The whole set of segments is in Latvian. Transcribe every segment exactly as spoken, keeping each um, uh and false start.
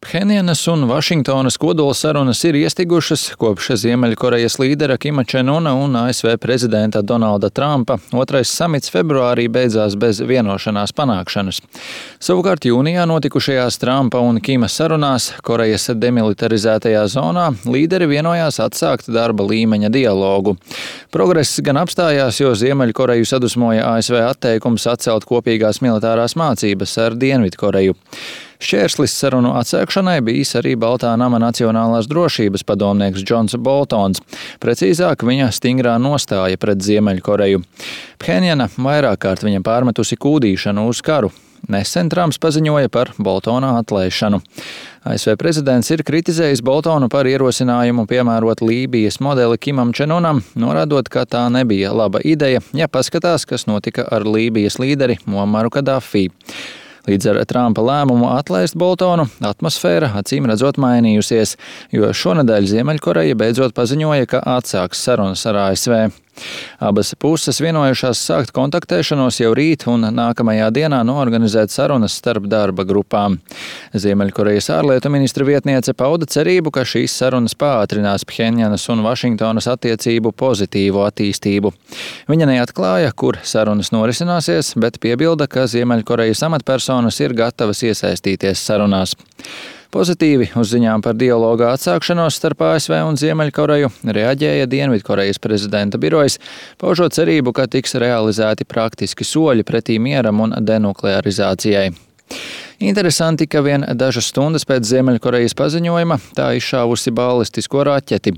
Phenjanas un Vašingtonas kodola sarunas ir iestigušas kopš Ziemeļkorejas līdera Kima Čen Una un A S V prezidenta Donalda Trumpa. Otrais samits februārī beidzās bez vienošanās panākšanas. Savukārt jūnijā notikušajās Trumpa un Kima sarunās Korejas demilitarizētajā zonā līderi vienojās atsākt darba līmeņa dialogu. Progress gan apstājās, jo Ziemeļkoreju sadusmoja A S V atteikums atcelt kopīgās militārās mācības ar Dienvidkoreju. Šķērslis sarunu atsākšanai bijis arī Baltā nama nacionālās drošības padomnieks Džons Boltons, precīzāk viņa stingrā nostāja pret Ziemeļkoreju. Phenjana vairāk kārt viņam pārmetusi kūdīšanu uz karu. Nesen Trumps paziņoja par Boltona atlaišanu. A S V prezidents ir kritizējis Boltonu par ierosinājumu piemērot Lībijas modeli Kimam Čen Unam, norādot, ka tā nebija laba ideja, ja paskatās, kas notika ar Lībijas līderi Muamaru Kadafī. Līdz ar Trumpa lēmumu atlaist Boltonu atmosfēra acīm redzot mainījusies, jo šonedēļ Ziemeļkoreja beidzot paziņoja, ka atsāks sarunas ar A S V. Abas puses vienojušās sākt kontaktēšanos jau rīt un nākamajā dienā noorganizēt sarunas starp darba grupām. Ziemeļkorejas ārlietu ministra vietniece pauda cerību, ka šīs sarunas pātrinās Phenjanas un Vašingtonas attiecību pozitīvu attīstību. Viņa neatklāja, kur sarunas norisināsies, bet piebilda, ka Ziemeļkorejas amatpersonas ir gatavas iesaistīties sarunās. Pozitīvi uz ziņām par dialoga atsākšanos starp A S V un Ziemeļkoreju reaģēja Dienvidkorejas prezidenta birojs, paužot cerību, ka tiks realizēti praktiski soļi pretī mieram un denuklearizācijai. Interesanti, ka vien dažas stundas pēc Ziemeļkorejas paziņojuma tā izšāvusi balistisko raķeti.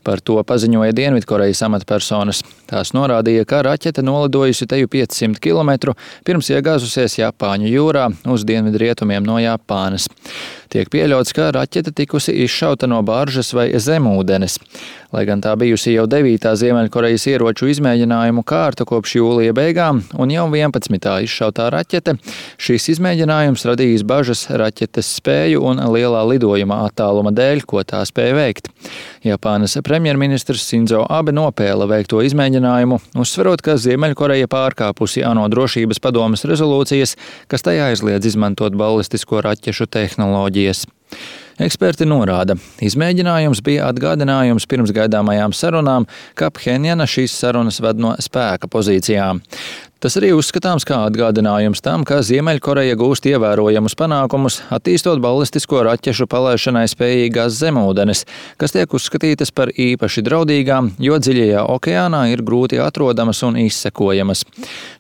Par to paziņoja Dienvidkorejas amatpersonas. Tās norādīja, ka raķete nolidojusi teju piecsimt kilometru, pirms iegāzusies Japāņu jūrā uz dienvidrietumiem no Japānas. Tiek pieļauts, ka raķete tikusi izšauta no baržas vai zemūdenes. Lai gan tā bijusi jau devītā Ziemeļkorejas ieroču izmēģinājumu kārta kopš jūlija beigām un jau vienpadsmitā izšautā raķete, šīs izmēģinājums radījis bažas raķetes spēju un lielā lidojuma attāluma dēļ, ko tā spēja veikt. Japānas premjerministrs Sinzo Abe nopēla veikto izmēģinājumu, uzsverot, ka Ziemeļkoreja pārkāpusi ANO drošības padomes rezolūcijas, kas tajā aizliedz izmantot balistisko raķešu tehnoloģijas. Eksperti norāda, izmēģinājums bija atgādinājums pirms gaidāmajām sarunām, ka Phenjana šīs sarunas ved no spēka pozīcijām. Tas arī uzskatāms kā atgādinājums tam, ka Ziemeļkoreja gūst ievērojamus panākumus, attīstot balistisko raķešu palaišanai spējīgās zemūdenes, kas tiek uzskatītas par īpaši draudīgām, jo dziļajā okeānā ir grūti atrodamas un izsekojamas.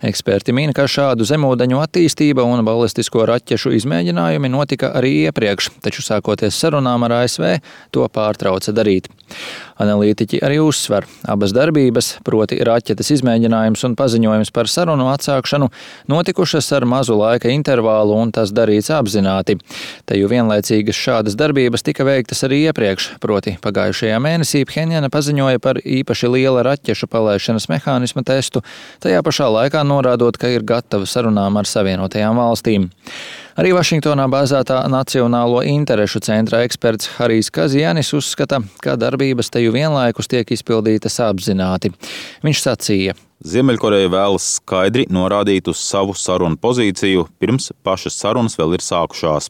Eksperti min, ka šādu zemūdeņu attīstība un balistisko raķešu izmēģinājumi notika arī iepriekš, taču sākoties sarunām ar A S V, to pārtrauca darīt. Analītiķi arī uzsver, abas darbības, proti raķetes izmēģinājums un paziņojums par sarunu atsākšanu, notikušas ar mazu laika intervālu un tas darīts apzināti. Te jau vienlaicīgas šādas darbības tika veiktas arī iepriekš, proti pagājušajā mēnesī Phenjana paziņoja par īpaši liela raķešu palaišanas mehānisma testu, tajā pašā laikā norādot, ka ir gatava sarunām ar Savienotajām valstīm. Arī Vašingtonā bāzētā Nacionālo interešu centra eksperts Harijs Kazjanis uzskata, ka darbības teju vienlaikus tiek izpildītas apzināti. Viņš sacīja: Ziemeļkoreja vēlas skaidri norādīt uz savu sarunu pozīciju, pirms pašas sarunas vēl ir sākušās.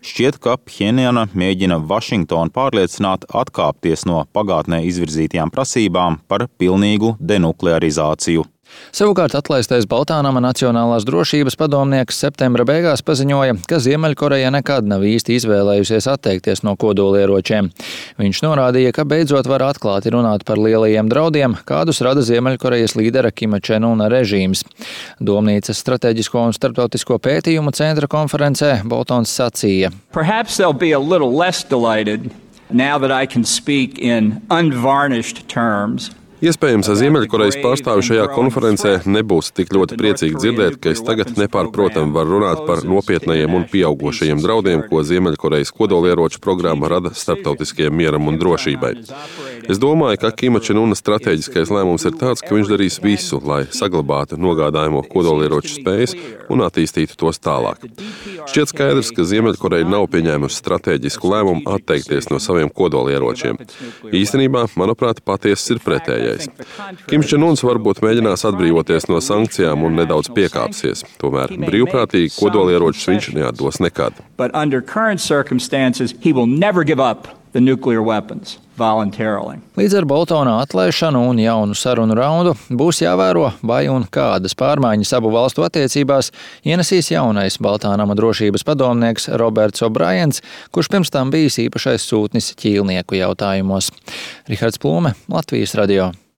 Šķiet, ka Phenjana mēģina Vašingtonu pārliecināt atkāpties no pagātnē izvirzītajām prasībām par pilnīgu denuklearizāciju. Savukārt atlaistais Baltā nama nacionālās drošības padomnieks septembra beigās paziņoja, ka Ziemeļkoreja nekad nav īsti izvēlējusies atteikties no kodolieročiem. Viņš norādīja, ka beidzot var atklāti runāt par lielajiem draudiem, kādus rada Ziemeļkorejas līdera Kima Čen Una režīms. Domnīcas strateģisko un starptautisko pētījumu centra konferencē Boltons sacīja: Perhaps they'll be a little less delighted now that I can speak in unvarnished terms. Iespējams, Ziemeļkorejas pārstāvi šajā konferencē nebūs tik ļoti priecīgi dzirdēt, ka es tagad nepārprotam varu runāt par nopietnajiem un pieaugošajiem draudiem, ko Ziemeļkorejas kodolieroču programma rada starptautiskajam mieram un drošībai. Es domāju, ka Kima Čen Una stratēģiskais lēmums ir tāds, ka viņš darīs visu, lai saglabātu nogādājumo kodolieroču spējas un attīstītu tos tālāk. Šķiet skaidrs, ka Ziemeļkoreja nav pieņēmusi stratēģisku lēmumu atteikties no saviem kodolieročiem. Īstenībā, manuprāt, patiesis ir pretējais. Kims Čen Uns varbūt mēģinās atbrīvoties no sankcijām un nedaudz piekāpsies. Tomēr brīvprātīgi kodolieročus viņš neatdos nekad. But under current circumstances, he will never give up the nuclear weapons voluntarily. Līdz ar Boltona atlaišanu un jaunu sarunu raundu būs jāvēro, vai un kādas pārmaiņas abu valstu attiecībās ienesīs jaunais Baltānama drošības padomnieks Roberts O'Briens, kurš pirms tam bijis īpašais sūtnis ķīlnieku jautājumos. Rihards Plūme, Latvijas radio.